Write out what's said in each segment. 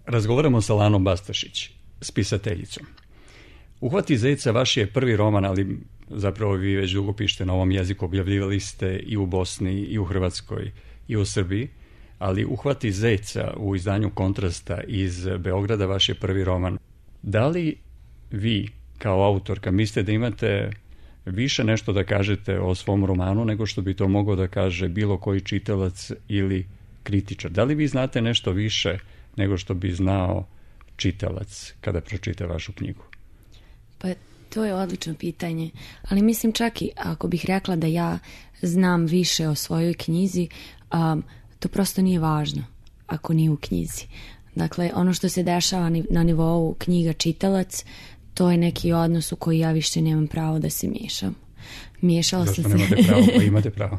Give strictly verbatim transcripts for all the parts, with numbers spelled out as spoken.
Razgovaramo sa Lanom Bastašić, spisateljicom. Uhvati zeca vaš je prvi roman, ali zapravo vi već dugo pišete na ovom jeziku, objavljivali ste i u Bosni, i u Hrvatskoj, i u Srbiji, ali Uhvati zeca u izdanju Kontrasta iz Beograda vaš je prvi roman. Da li vi, kao autorka, mislite da imate više nešto da kažete o svom romanu nego što bi to mogao da kaže bilo koji čitalac ili kritičar? Da li vi znate nešto više nego što bi znao čitalac kada pročita vašu knjigu? Pa to je odlično pitanje, ali mislim čak i ako bih rekla da ja znam više o svojoj knjizi, um, to prosto nije važno ako nije u knjizi. Dakle, ono što se dešava na nivou knjiga čitalac, to je neki odnos u koji ja više nemam pravo da se miješam. Miješala Zašto sam se... nemate pravo? Pa imate pravo.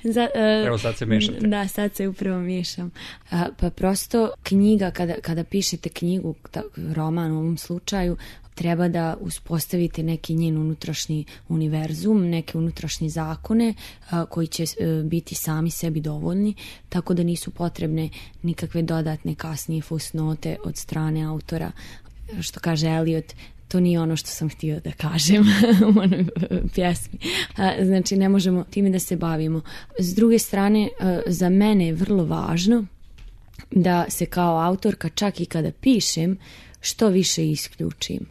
Za, uh, Evo sad se miješate. Da, sad se upravo miješam. Uh, pa prosto knjiga, kada, kada pišete knjigu, roman u ovom slučaju, treba da uspostavite neki njen unutrašnji univerzum, neke unutrašnje zakone a, koji će a, biti sami sebi dovoljni, tako da nisu potrebne nikakve dodatne kasnije fusnote od strane autora. Što kaže Eliot, to nije ono što sam htio da kažem u onoj pjesmi. A, znači, ne možemo time da se bavimo. S druge strane, a, za mene je vrlo važno da se kao autorka, čak i kada pišem, što više isključim.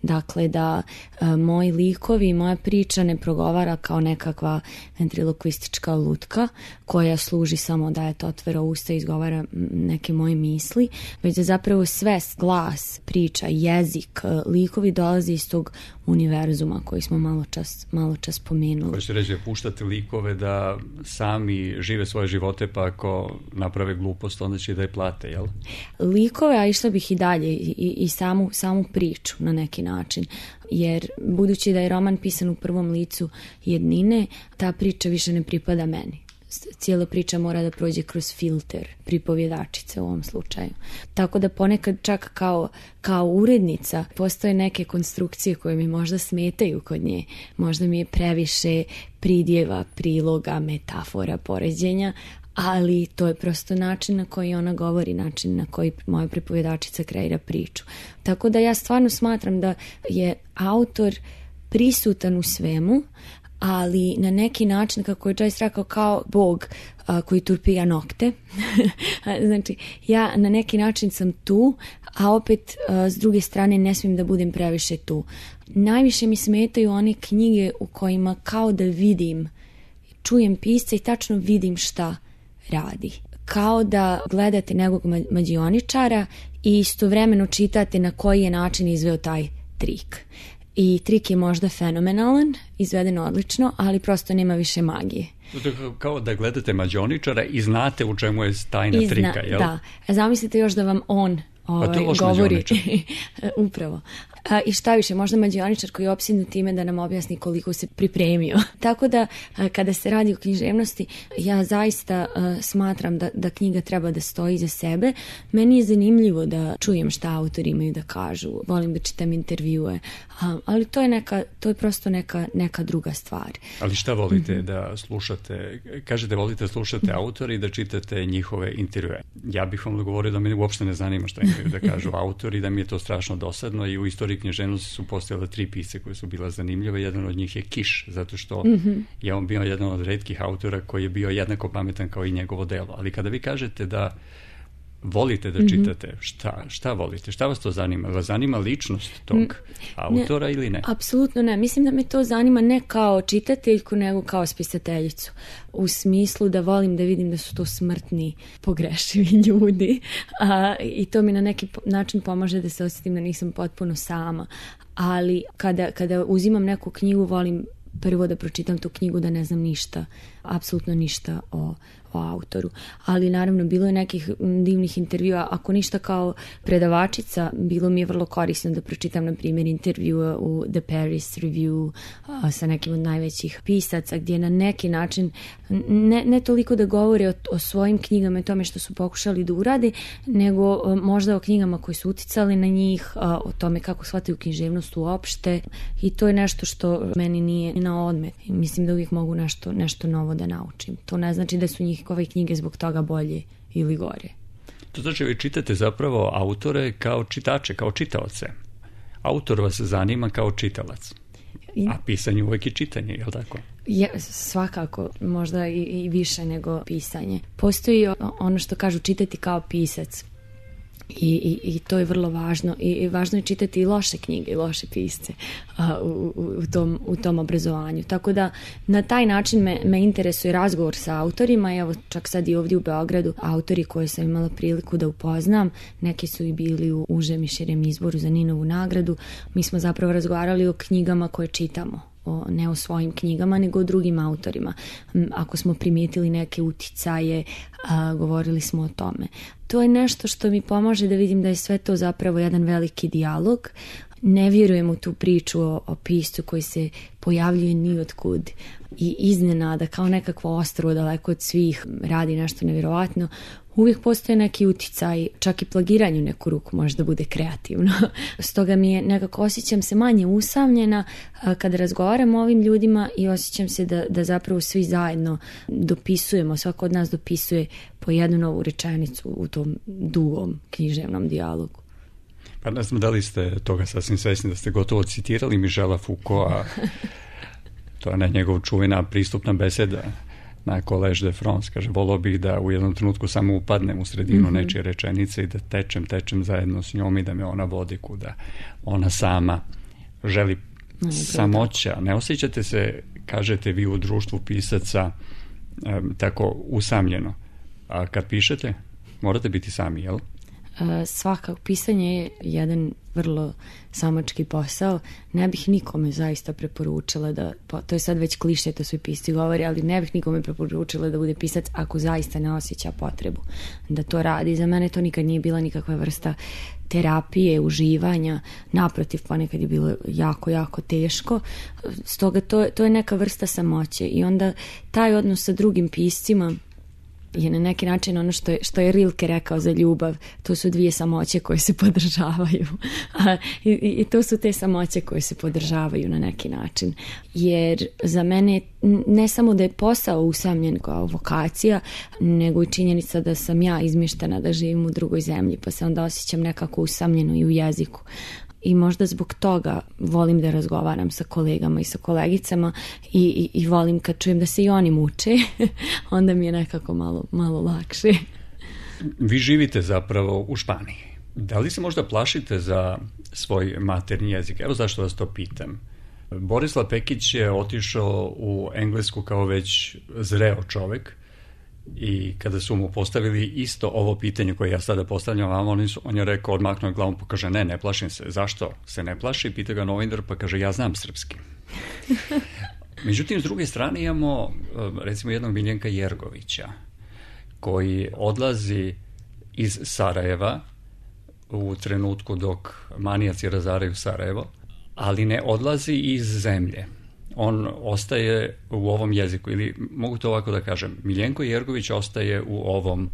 Dakle, da e, moji likovi i moja priča ne progovara kao nekakva ventriloquistička lutka koja služi samo da je to otvara usta i izgovara neke moje misli, već da zapravo sve, glas, priča, jezik, likovi dolaze iz tog univerzuma koji smo malo čas, malo čas pomenuli. Hoćete reći da puštate likove da sami žive svoje živote, pa ako naprave glupost, onda će da je plate, jel? Likove, a išla bih i dalje, i, i, i samu, samu priču na neki način. Jer budući da je roman pisan u prvom licu jednine, ta priča više ne pripada meni. Cijela priča mora da prođe kroz filter pripovjedačice u ovom slučaju. Tako da ponekad čak kao, kao urednica postoje neke konstrukcije koje mi možda smetaju kod nje. Možda mi je previše pridjeva, priloga, metafora, poređenja, ali to je prosto način na koji ona govori, način na koji moja pripovjedačica kreira priču. Tako da ja stvarno smatram da je autor prisutan u svemu, ali na neki način, kako je Joyce rekao, kao Bog a, koji turpija nokte. Znači, ja na neki način sam tu, a opet a, s druge strane ne smijem da budem previše tu. Najviše mi smetaju one knjige u kojima kao da vidim, čujem pisca i tačno vidim šta radi. Kao da gledate nekog mađioničara i istovremeno čitate na koji je način izveo taj trik. I trik je možda fenomenalan, izveden odlično, ali prosto nema više magije. To je kao da gledate mađioničara i znate u čemu je tajna Izna, trika, jel? Da. Zamislite još da vam on ovaj, govori. Upravo. A, I šta više, možda mađioničar koji je opsjednut time da nam objasni koliko se pripremio. Tako da, a, kada se radi o književnosti, ja zaista a, smatram da, da knjiga treba da stoji za sebe. Meni je zanimljivo da čujem šta autori imaju da kažu. Volim da čitam intervjue. A, ali to je, neka, to je prosto neka, neka druga stvar. Ali šta volite mm-hmm. da slušate? Kažete volite da slušate autori i da čitate njihove intervjue. Ja bih vam govorio da me uopšte ne zanima šta imaju da kažu autori, da mi je to strašno dosadno i u istoriji književnosti su postojale tri pisce koje su bila zanimljive. Jedan od njih je Kiš, zato što mm-hmm. je on bio jedan od retkih autora koji je bio jednako pametan kao i njegovo delo. Ali kada vi kažete da volite da čitate, mm-hmm. šta, šta volite? Šta vas to zanima? Vas zanima ličnost tog mm, autora ne, ili ne? Apsolutno ne. Mislim da me to zanima ne kao čitateljku, nego kao spisateljicu. U smislu da volim da vidim da su to smrtni, pogrešivi ljudi. A, i to mi na neki način pomaže da se osjetim da nisam potpuno sama. Ali kada, kada uzimam neku knjigu, volim prvo da pročitam tu knjigu, da ne znam ništa, apsolutno ništa o o autoru. Ali naravno bilo je nekih divnih intervjua, ako ništa kao predavačica, bilo mi je vrlo korisno da pročitam na primjer intervjua u The Paris Review a, sa nekim od najvećih pisaca, gdje na neki način ne, ne toliko da govore o, o svojim knjigama i tome što su pokušali da urade, nego a, možda o knjigama koje su uticali na njih, a, o tome kako shvataju književnost uopšte, i to je nešto što meni nije na odmet. Mislim da uvijek mogu nešto, nešto novo da naučim. To ne znači da su njih ove knjige zbog toga bolje ili gore. To znači vi čitate zapravo autore kao čitače, kao čitaoce. Autor vas zanima kao čitalac. A pisanje uvijek je čitanje, je li tako? Je, svakako, možda i, i više nego pisanje. Postoji ono što kažu čitati kao pisac. I, i, i to je vrlo važno. I, i važno je čitati i loše knjige i loše pisce a, u, u, tom, u tom obrazovanju. Tako da na taj način me, me interesuje razgovor sa autorima. Evo čak sad i ovdje u Beogradu autori koje sam imala priliku da upoznam, neki su i bili u užem i širem izboru za Ninovu nagradu. Mi smo zapravo razgovarali o knjigama koje čitamo. O, ne o svojim knjigama, nego o drugim autorima. Ako smo primijetili neke uticaje, a, govorili smo o tome. To je nešto što mi pomaže da vidim da je sve to zapravo jedan veliki dijalog. Ne vjerujem u tu priču o, o piscu koji se pojavljuje ni otkud i iznenada kao nekakvo ostrvo daleko od svih radi nešto nevjerovatno. Uvijek postoje neki uticaj, čak i plagiranju neku ruku možda bude kreativno. Stoga mi je nekako osjećam se manje usamljena kada razgovaram o ovim ljudima i osjećam se da, da zapravo svi zajedno dopisujemo, svako od nas dopisuje po jednu novu rečenicu u tom dugom književnom dijalogu. Pa ne znam da li ste toga sasvim svjesni da ste gotovo citirali Michela Foucaulta, to je njegov čuvena pristupna beseda na Collège de France, kaže, volio bih da u jednom trenutku samo upadnem u sredinu mm-hmm. nečije rečenice i da tečem, tečem zajedno s njom i da me ona vodi kuda ona sama želi. No, samoća. Ne osjećate se, kažete vi, u društvu pisaca um, tako usamljeno. A kad pišete, morate biti sami, jel? Svakako, pisanje je jedan vrlo samački posao. Ne bih nikome zaista preporučila da, to je sad već kliše, to svi pisci govori, ali ne bih nikome preporučila da bude pisac ako zaista ne osjeća potrebu da to radi. Za mene to nikad nije bila nikakva vrsta terapije, uživanja, naprotiv, ponekad je bilo jako, jako teško. Stoga to, to je neka vrsta samoće i onda taj odnos sa drugim piscima je na neki način ono što je, što je Rilke rekao za ljubav, to su dvije samoće koje se podržavaju. A, i, I to su te samoće koje se podržavaju na neki način. Jer za mene ne samo da je posao usamljen kao vokacija, nego i činjenica da sam ja izmještena da živim u drugoj zemlji, pa se onda osjećam nekako usamljeno i u jeziku. I možda zbog toga volim da razgovaram sa kolegama i sa kolegicama i, i, i volim kad čujem da se i oni muče, onda mi je nekako malo, malo lakše. Vi živite zapravo u Španiji. Da li se možda plašite za svoj maternji jezik? Evo zašto vas to pitam. Borislav Pekić je otišao u Englesku kao već zreo čovjek i kada su mu postavili isto ovo pitanje koje ja sada postavljam vam, on, on je rekao, odmaknuo glavom, pa kaže, ne, ne plašim se. Zašto se ne plaši? Pita ga novinar, pa kaže, ja znam srpski. Međutim, s druge strane imamo, recimo, jednog Miljenka Jergovića, koji odlazi iz Sarajeva u trenutku dok manijaci razaraju Sarajevo, ali ne odlazi iz zemlje. On ostaje u ovom jeziku, ili mogu to ovako da kažem, Miljenko Jergović ostaje u ovom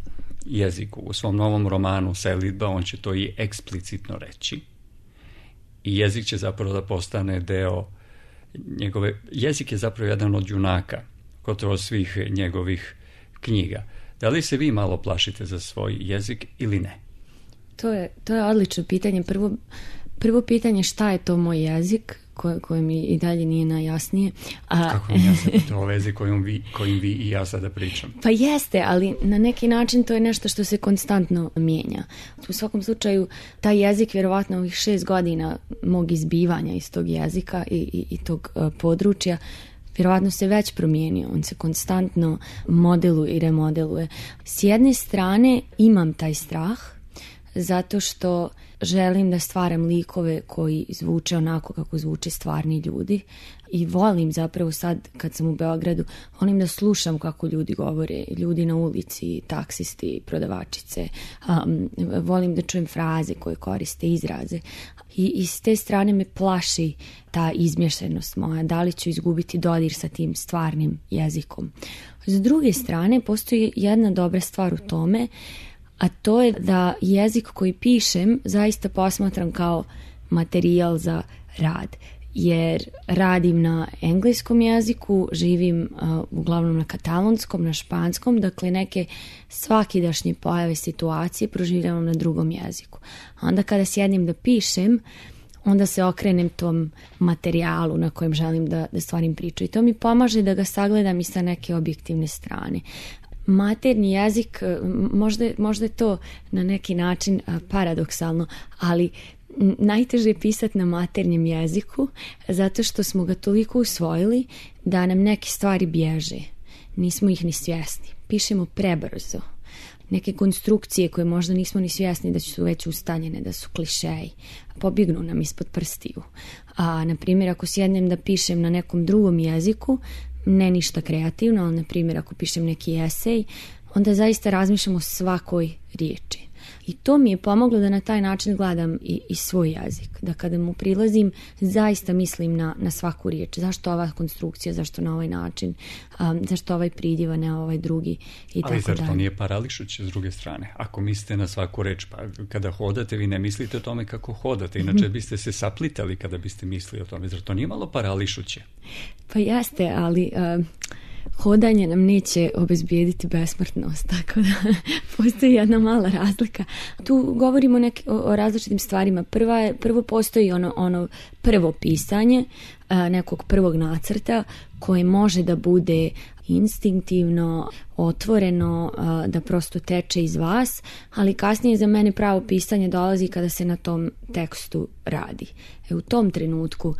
jeziku. U svom novom romanu Selidba on će to i eksplicitno reći. I jezik će zapravo da postane deo njegove... Jezik je zapravo jedan od junaka gotovo svih njegovih knjiga. Da li se vi malo plašite za svoj jezik ili ne? To je, to je odlično pitanje. Prvo, prvo pitanje šta je to moj jezik? Koje, koje mi i dalje nije najjasnije. A... Kako mi jasno to o vezi kojim vi, kojim vi i ja sada pričam? Pa jeste, ali na neki način to je nešto što se konstantno mijenja. U svakom slučaju, taj jezik, vjerovatno ovih šest godina mog izbivanja iz tog jezika i, i, i tog uh, područja, vjerovatno se već promijenio. On se konstantno modeluje i remodeluje. S jedne strane imam taj strah, zato što želim da stvaram likove koji zvuče onako kako zvuče stvarni ljudi i volim zapravo sad kad sam u Beogradu, volim da slušam kako ljudi govore, ljudi na ulici, taksisti, prodavačice, um, volim da čujem fraze koje koriste, izraze i, i s te strane me plaši ta izmješanost moja, da li ću izgubiti dodir sa tim stvarnim jezikom. S druge strane, postoji jedna dobra stvar u tome, a to je da jezik koji pišem zaista posmatram kao materijal za rad. jer radim na engleskom jeziku, živim uh, uglavnom na katalonskom, na španskom, dakle neke svakidašnje pojave situacije proživljavam na drugom jeziku. A onda kada sjednem da pišem, onda se okrenem tom materijalu na kojem želim da, da stvarim priču. I to mi pomaže da ga sagledam i sa neke objektivne strane. Maternji jezik, možda, možda je to na neki način paradoksalno, ali najteže je pisati na maternjem jeziku zato što smo ga toliko usvojili da nam neke stvari bježe. Nismo ih ni svjesni. Pišemo prebrzo. Neke konstrukcije koje možda nismo ni svjesni da su već ustaljene, da su klišeji, pobjegnu nam ispod prstiju. A, na primjer, ako sjednem da pišem na nekom drugom jeziku, ne ništa kreativno, ali na primjer ako pišem neki esej, onda zaista razmišljam o svakoj riječi. I to mi je pomoglo da na taj način gledam i, i svoj jezik. Da kada mu prilazim, zaista mislim na, na svaku riječ. Zašto ova konstrukcija, zašto na ovaj način, um, zašto ovaj pridjev, a ne ovaj drugi i ali tako zar to nije parališuće s druge strane? Ako mislite na svaku reč, pa kada hodate, vi ne mislite o tome kako hodate. Inače biste se saplitali kada biste mislili o tome. Zar to nije malo parališuće? Pa jeste, ali... Uh, hodanje nam neće obezbijediti besmrtnost, tako da postoji jedna mala razlika. Tu govorimo neke, o, o različitim stvarima. Prva je, prvo postoji ono, ono prvo pisanje a, nekog prvog nacrta koje može da bude instinktivno, otvoreno, a, da prosto teče iz vas, ali kasnije za mene pravo pisanje dolazi kada se na tom tekstu radi. E, u tom trenutku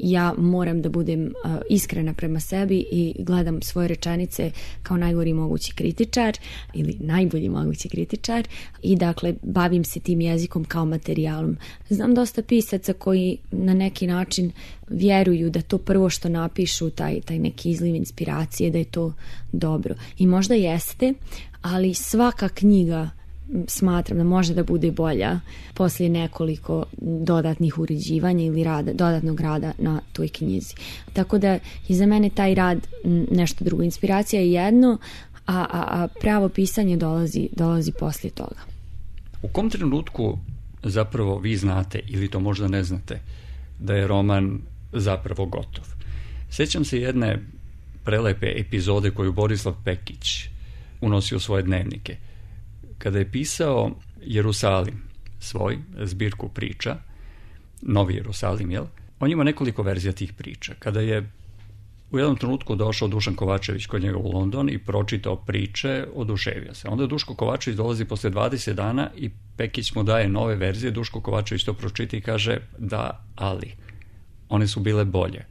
ja moram da budem uh, iskrena prema sebi i gledam svoje rečenice kao najgori mogući kritičar ili najbolji mogući kritičar i dakle bavim se tim jezikom kao materijalom. Znam dosta pisaca koji na neki način vjeruju da to prvo što napišu, taj, taj neki izliv inspiracije, da je to dobro. I možda jeste, ali svaka knjiga smatram da može da bude bolja poslije nekoliko dodatnih uređivanja ili rada, dodatnog rada na toj knjizi. Tako da je za mene taj rad nešto drugo. Inspiracija je jedno, a, a, a pravo pisanje dolazi, dolazi poslije toga. U kom trenutku zapravo vi znate, ili to možda ne znate, da je roman zapravo gotov? Sjećam se jedne prelepe epizode koju Borislav Pekić unosio u svoje dnevnike. Kada je pisao Jerusalim, svoj zbirku priča, Novi Jerusalim, jel? On ima nekoliko verzija tih priča. Kada je u jednom trenutku došao Dušan Kovačević kod njega u London i pročitao priče, oduševio se. Onda Duško Kovačević dolazi posle dvadeset dana i Pekić mu daje nove verzije. Duško Kovačević to pročita i kaže da, ali one su bile bolje.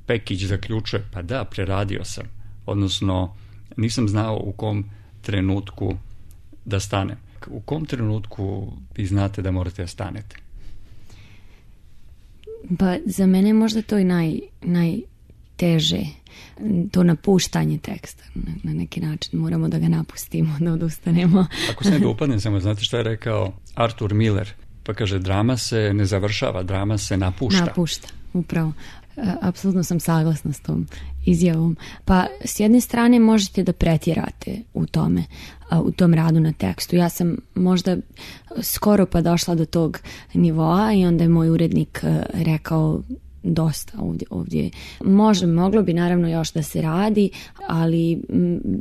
Pekić zaključuje, pa da, preradio sam. Odnosno, nisam znao u kom trenutku da stanem. U kom trenutku vi znate da morate da stanete? Pa za mene je možda to i naj, najteže, to napuštanje teksta. Na, na neki način moramo da ga napustimo, da odustanemo. Ako se ne da upadnem samo, znate šta je rekao Arthur Miller? Pa kaže, drama se ne završava, drama se napušta. Napušta, upravo. Apsolutno sam saglasna s tom izjavom. Pa s jedne strane možete da pretjerate u tome, u tom radu na tekstu. Ja sam možda skoro pa došla do tog nivoa i onda je moj urednik rekao dosta ovdje, ovdje. Može, moglo bi naravno još da se radi, ali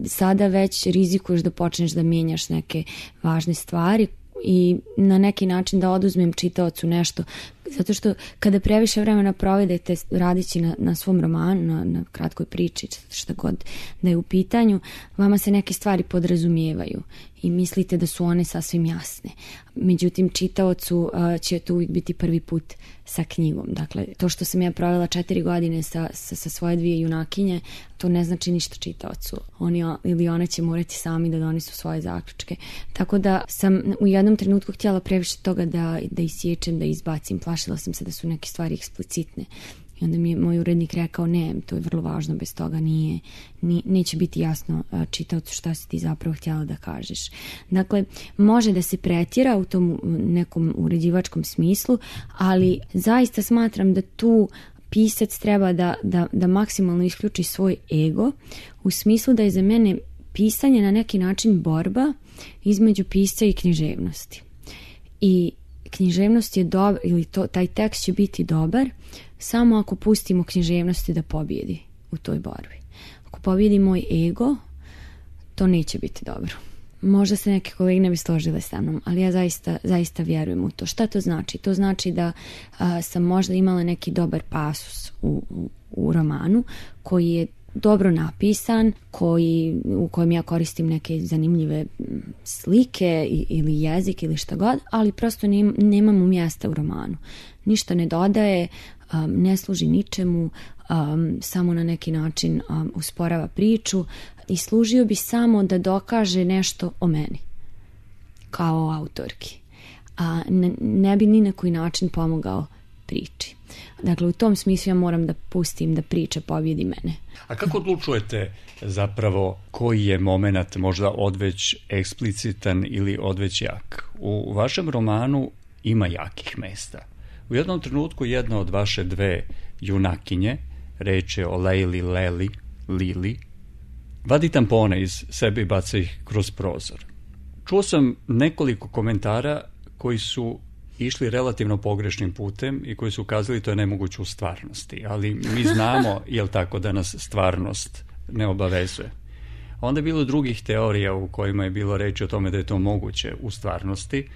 sada već rizikuješ da počneš da mijenjaš neke važne stvari i na neki način da oduzmem čitaocu nešto, zato što kada previše vremena provedete radići na, na svom romanu, na, na kratkoj priči, šta god da je u pitanju, vama se neke stvari podrazumijevaju i mislite da su one sasvim jasne. Međutim, čitaocu uh, će to uvijek biti prvi put sa knjigom. Dakle, to što sam ja provela četiri godine sa, sa, sa svoje dvije junakinje, to ne znači ništa čitaocu. Oni ili one će morati sami da donesu svoje zaključke. Tako da sam u jednom trenutku htjela previše toga da, da isječem, da izbacim. Plašila sam se da su neke stvari eksplicitne. I onda mi je moj urednik rekao, ne, to je vrlo važno, bez toga nije, nije, neće biti jasno čitaocu šta si ti zapravo htjela da kažeš. Dakle, može da se pretjera u tom nekom uređivačkom smislu, ali zaista smatram da tu pisac treba da, da, da maksimalno isključi svoj ego, u smislu da je za mene pisanje na neki način borba između pisca i književnosti. I književnost je dobar, ili to, taj tekst će biti dobar samo ako pustimo književnosti da pobjedi u toj borbi. Ako pobjedi moj ego, to neće biti dobro. Možda se neke kolege ne bi složile sa mnom, ali ja zaista, zaista vjerujem u to. Šta to znači? To znači da a, sam možda imala neki dobar pasus u, u, u romanu koji je dobro napisan, koji, u kojem ja koristim neke zanimljive slike ili jezik ili šta god, ali prosto nem, nemam mu mjesta u romanu. Ništa ne dodaje, um, ne služi ničemu, um, samo na neki način um, usporava priču i služio bi samo da dokaže nešto o meni kao autorki. A ne, ne bi ni na koji način pomogao priči. Dakle, u tom smislu ja moram da pustim da priča pobjedi mene. A kako odlučujete zapravo koji je moment možda odveć eksplicitan ili odveć jak? U vašem romanu ima jakih mesta. U jednom trenutku jedna od vaše dve junakinje, reč je o Lejli, Leli, Lili, vadi tampone iz sebe i baca ih kroz prozor. Čuo sam nekoliko komentara koji su išli relativno pogrešnim putem i koji su ukazali to je nemoguće u stvarnosti, ali mi znamo, jel tako, da nas stvarnost ne obavezuje. Onda je bilo drugih teorija u kojima je bilo reći o tome da je to moguće u stvarnosti,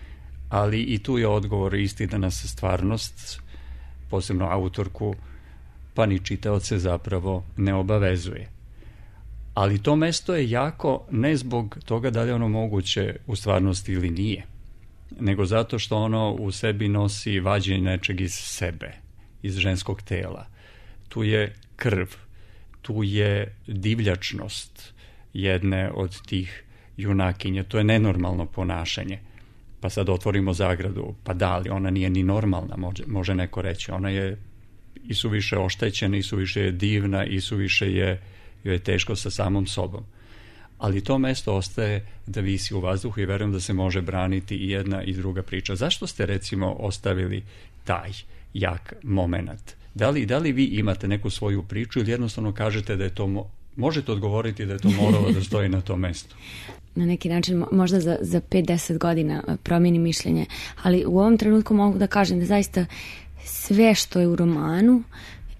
ali i tu je odgovor isti da nas stvarnost, posebno autorku, pa ni čitaoce zapravo ne obavezuje. Ali to mesto je jako ne zbog toga da li je ono moguće u stvarnosti ili nije, nego zato što ono u sebi nosi vađenje nečeg iz sebe, iz ženskog tela. Tu je krv, tu je divljačnost jedne od tih junakinja, to je nenormalno ponašanje. Pa sad otvorimo zagradu, pa da, ali ona nije ni normalna, može, može neko reći. Ona je i suviše oštećena, i suviše je divna, i suviše je, joj je teško sa samom sobom. Ali to mesto ostaje da visi u vazduhu i verujem da se može braniti i jedna i druga priča. Zašto ste recimo ostavili taj jak moment? Da li, da li vi imate neku svoju priču ili jednostavno kažete da je to, mo- možete odgovoriti da je to moralo da stoji na tom mestu? Na neki način možda za, za pet do deset godina promijeni mišljenje, ali u ovom trenutku mogu da kažem da zaista sve što je u romanu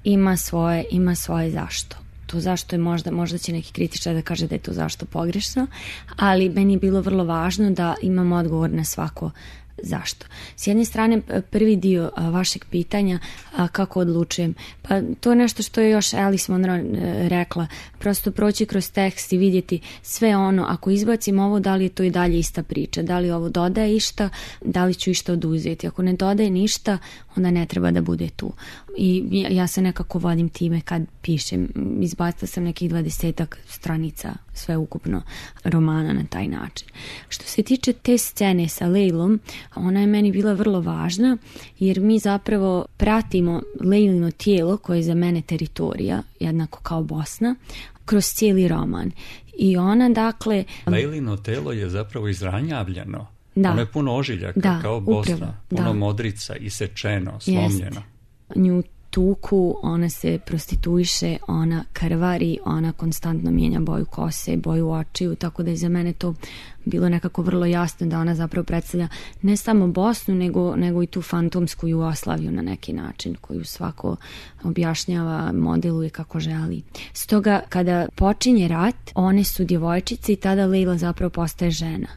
ima svoje, ima svoje zašto. To zašto je možda, možda će neki kritičar da kaže da je to zašto pogrešno, ali meni je bilo vrlo važno da imam odgovor na svako zašto. S jedne strane, prvi dio a, vašeg pitanja, a, kako odlučujem, pa to je nešto što je još Alice Munro e, rekla, prosto proći kroz tekst i vidjeti sve ono, ako izbacim ovo, da li je to i dalje ista priča, da li ovo dodaje išta, da li ću išta oduzeti. Ako ne dodaje ništa, onda ne treba da bude tu. I ja se nekako vodim time kad pišem. Izbacila sam nekih dvadesetak stranica sve ukupno romana na taj način. Što se tiče te scene sa Lejlom, ona je meni bila vrlo važna jer mi zapravo pratimo Lejlino tijelo koje je za mene teritorija, jednako kao Bosna, kroz cijeli roman. I ona dakle... Lejlino telo je zapravo izranjavljeno. Da. Ono je puno ožiljaka, da, kao Bosna, upravo, puno da. modrica, isečeno, slomljeno. Jest. Nju tuku, ona se prostituiše, ona krvari, ona konstantno mijenja boju kose, boju očiju, tako da je za mene to bilo nekako vrlo jasno da ona zapravo predstavlja ne samo Bosnu, nego, nego i tu fantomsku Jugoslaviju na neki način, koju svako objašnjava, modeluje kako želi. Stoga, kada počinje rat, one su djevojčice i tada Lejla zapravo postaje žena.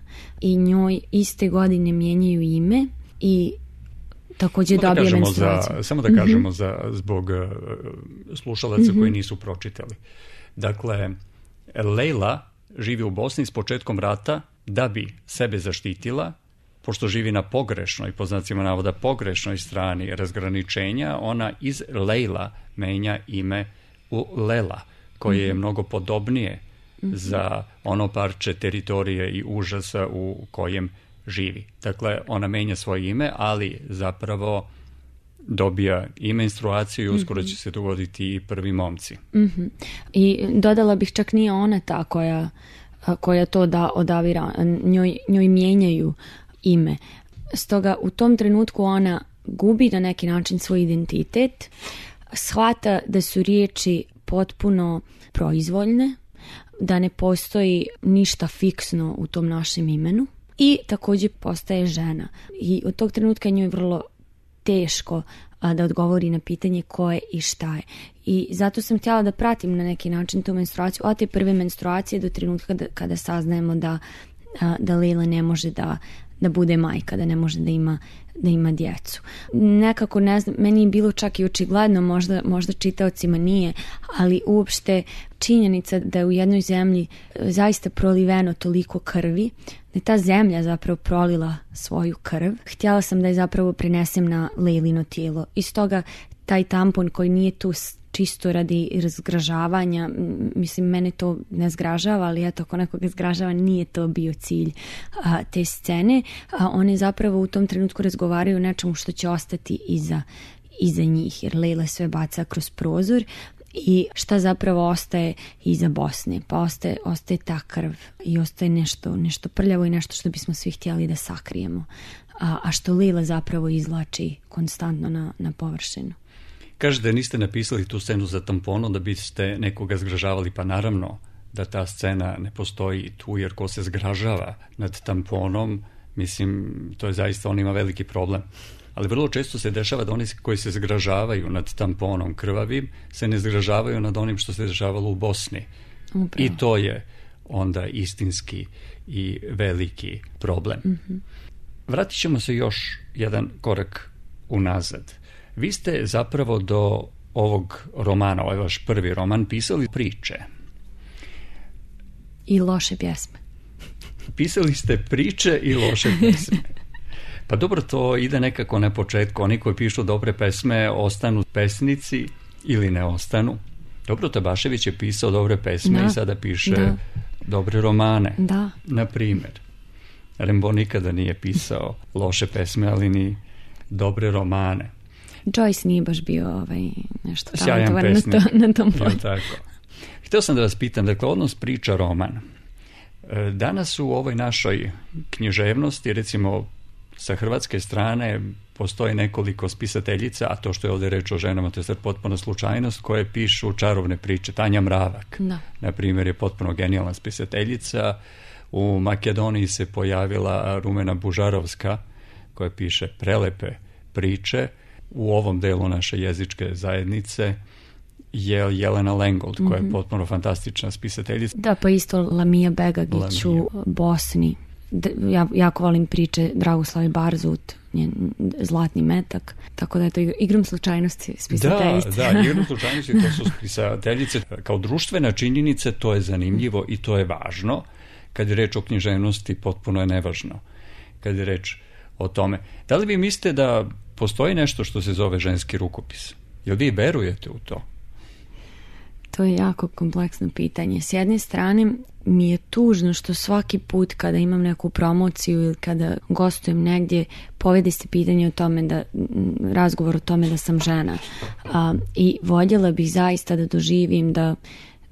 I njoj iste godine mijenjaju ime i također samo dobije da menstruaciju. Za, samo da kažemo mm-hmm. za, zbog uh, slušalaca mm-hmm. koji nisu pročitali. Dakle, Lejla živi u Bosni s početkom rata da bi sebe zaštitila, pošto živi na pogrešnoj, po znacima navoda pogrešnoj strani razgraničenja, ona iz Lejla menja ime u Lela, koje mm-hmm. je mnogo podobnije mm-hmm. za ono parče teritorije i užasa u kojem živi. Dakle, ona menja svoje ime, ali zapravo dobija i menstruaciju i uskoro mm-hmm. će se dogoditi i prvi momci. Mm-hmm. I dodala bih, čak nije ona ta koja, koja to da odabira, njoj, njoj mijenjaju ime. Stoga u tom trenutku ona gubi na neki način svoj identitet, shvata da su riječi potpuno proizvoljne, da ne postoji ništa fiksno u tom našem imenu. I također postaje žena. I od tog trenutka njoj je vrlo teško a, da odgovori na pitanje ko je i šta je. I zato sam htjela da pratim na neki način tu menstruaciju, od te prve menstruacije do trenutka kada, kada saznajemo da, a, da Lejla ne može da, da bude majka, da ne može da ima da ima djecu. Nekako, ne znam, meni je bilo čak i očigledno, možda, možda čitaocima nije, ali uopšte činjenica da je u jednoj zemlji zaista proliveno toliko krvi, da je ta zemlja zapravo prolila svoju krv. Htjela sam da je zapravo prenesem na Lejlino tijelo. I stoga taj tampon koji nije tu čisto radi razgražavanja, mislim, mene to ne zgražava, ali eto, ako nekoga zgražava, nije to bio cilj a, te scene. A one zapravo u tom trenutku razgovaraju o nečemu što će ostati iza, iza njih, jer Lejla sve baca kroz prozor i šta zapravo ostaje iza Bosne? Pa ostaje, ostaje ta krv i ostaje nešto, nešto prljavo i nešto što bismo svi htjeli da sakrijemo, a, a što Lejla zapravo izvlači konstantno na, na površinu. Kažete, niste napisali tu scenu za tamponom da biste nekoga zgražavali, pa naravno da ta scena ne postoji tu, jer ko se zgražava nad tamponom, mislim, to je zaista, on ima veliki problem. Ali vrlo često se dešava da oni koji se zgražavaju nad tamponom krvavim se ne zgražavaju nad onim što se dešavalo u Bosni. Upravo. I to je onda istinski i veliki problem. Mm-hmm. Vratit ćemo se još jedan korak unazad. Vi ste zapravo do ovog romana, ovaj vaš prvi roman, pisali priče. I loše pjesme. Pisali ste priče i loše pjesme. Pa dobro, to ide nekako na početku. Oni koji pišu dobre pesme ostanu pesnici ili ne ostanu. Dobro, Tabašević je pisao dobre pesme da. I sada piše da. Dobre romane. Da. Na primjer, Rimbaud nikada nije pisao loše pesme, ali ni dobre romane. Joyce nije baš bio ovaj, nešto talentovan na, to, na tom polju. Tako. Htio sam da vas pitam, dakle, odnos priča roman. Danas u ovoj našoj književnosti, recimo sa hrvatske strane, postoji nekoliko spisateljica, a to što je ovdje reč o ženama, to je sad potpuno slučajnost, koje pišu čarovne priče. Tanja Mravak, da. Na primjer, je potpuno genijalna spisateljica. U Makedoniji se pojavila Rumena Bužarovska, koja piše prelepe priče. U ovom delu naše jezičke zajednice je Jelena Lengold, koja mm-hmm. je potpuno fantastična spisateljica. Da, pa isto Lamija Begagić u Bosni. Ja jako volim priče Dragoslave Barzut, njen Zlatni metak, tako da je to igrom slučajnosti spisateljice. Da, da, igrom slučajnosti to su spisateljice. Kao društvena činjenica to je zanimljivo i to je važno. Kad je reč o književnosti, potpuno je nevažno. Kad je reč o tome. Da li vi mislite da postoji nešto što se zove ženski rukopis? Jel vi verujete u to? To je jako kompleksno pitanje. S jedne strane mi je tužno što svaki put kada imam neku promociju ili kada gostujem negdje, povede se pitanje o tome da, razgovor o tome da sam žena. A, i voljela bih zaista da doživim da,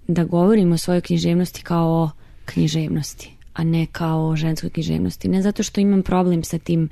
da govorim o svojoj književnosti kao o književnosti, a ne kao o ženskoj književnosti. Ne zato što imam problem sa tim,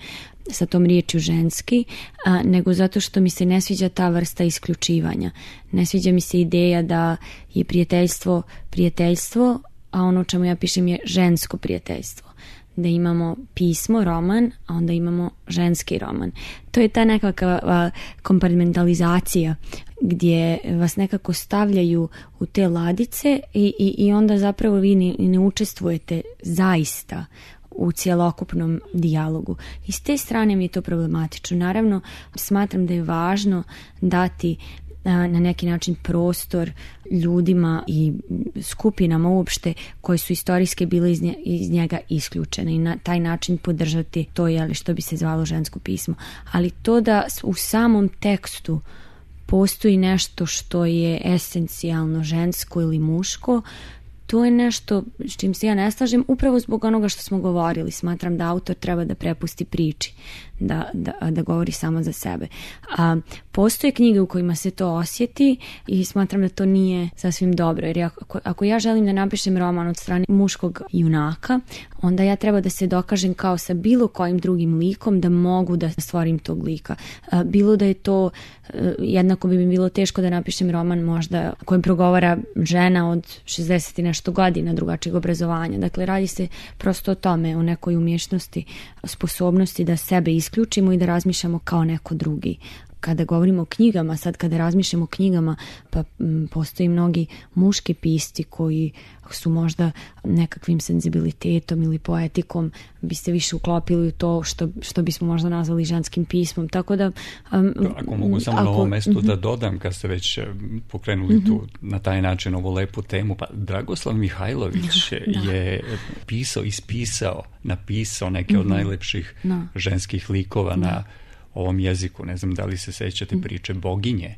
sa tom riječju ženski, a, nego zato što mi se ne sviđa ta vrsta isključivanja. Ne sviđa mi se ideja da je prijateljstvo prijateljstvo, a ono o čemu ja pišem je žensko prijateljstvo. Da imamo pismo, roman, a onda imamo ženski roman. To je ta nekakva kompartmentalizacija gdje vas nekako stavljaju u te ladice i, i, i onda zapravo vi ne, ne učestvujete zaista u cjelokupnom dijalogu. I s te strane mi je to problematično. Naravno, smatram da je važno dati na neki način prostor ljudima i skupinama uopšte koje su istorijske bile iz, nje, iz njega isključene i na taj način podržati to, jeli, što bi se zvalo žensko pismo. Ali to da u samom tekstu postoji nešto što je esencijalno žensko ili muško, to je nešto s čim se ja ne slažem, upravo zbog onoga što smo govorili. Smatram da autor treba da prepusti priči, da, da, da govori samo za sebe. A, postoje knjige u kojima se to osjeti i smatram da to nije sasvim dobro. Jer ako, ako ja želim da napišem roman od strane muškog junaka, onda ja treba da se dokažem kao sa bilo kojim drugim likom da mogu da stvorim tog lika. A, bilo da je to, jednako bi mi bilo teško da napišem roman možda kojem progovara žena od šezdeset i nešto godina drugačijeg obrazovanja. Dakle, radi se prosto o tome, o nekoj umješnosti, sposobnosti da sebe isključimo i da razmišljamo kao neko drugi. kada govorimo o knjigama, sad kada razmišljamo o knjigama, pa m, postoji mnogi muški pisci koji su možda nekakvim senzibilitetom ili poetikom bi se više uklopili u to što, što bismo možda nazvali ženskim pismom. Tako da... Um, ako mogu samo ako, na ovom mestu mm-hmm. da dodam, kad ste već pokrenuli mm-hmm. tu na taj način ovu lepu temu, pa Dragoslav Mihajlović da. je pisao, ispisao, napisao neke mm-hmm. od najlepših da. ženskih likova da. na ovom jeziku. Ne znam da li se sećate mm-hmm. priče Boginje,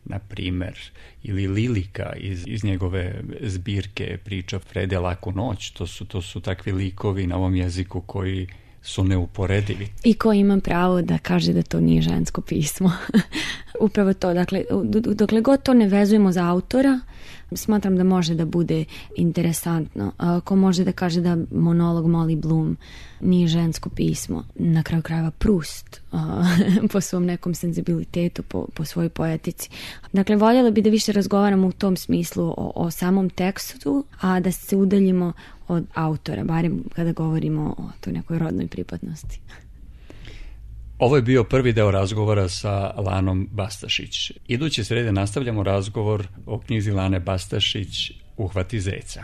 na primjer, ili Lilika iz, iz njegove zbirke priča Frede Laku noć. To su, to su takvi likovi na ovom jeziku koji su neuporedivi. I ko ima pravo da kaže da to nije žensko pismo. Upravo to. Dakle, dokle god to ne vezujemo za autora, smatram da može da bude interesantno. Ko može da kaže da monolog Molly Bloom nije žensko pismo, na kraju krajeva Proust po svom nekom senzibilitetu, po, po svojoj poetici. Dakle, voljela bi da više razgovaramo u tom smislu o, o samom tekstu, a da se udaljimo od autora, barem kada govorimo o toj nekoj rodnoj pripadnosti. Ovo je bio prvi deo razgovora sa Lanom Bastašić. Iduće srede nastavljamo razgovor o knjizi Lane Bastašić Uhvati zeca.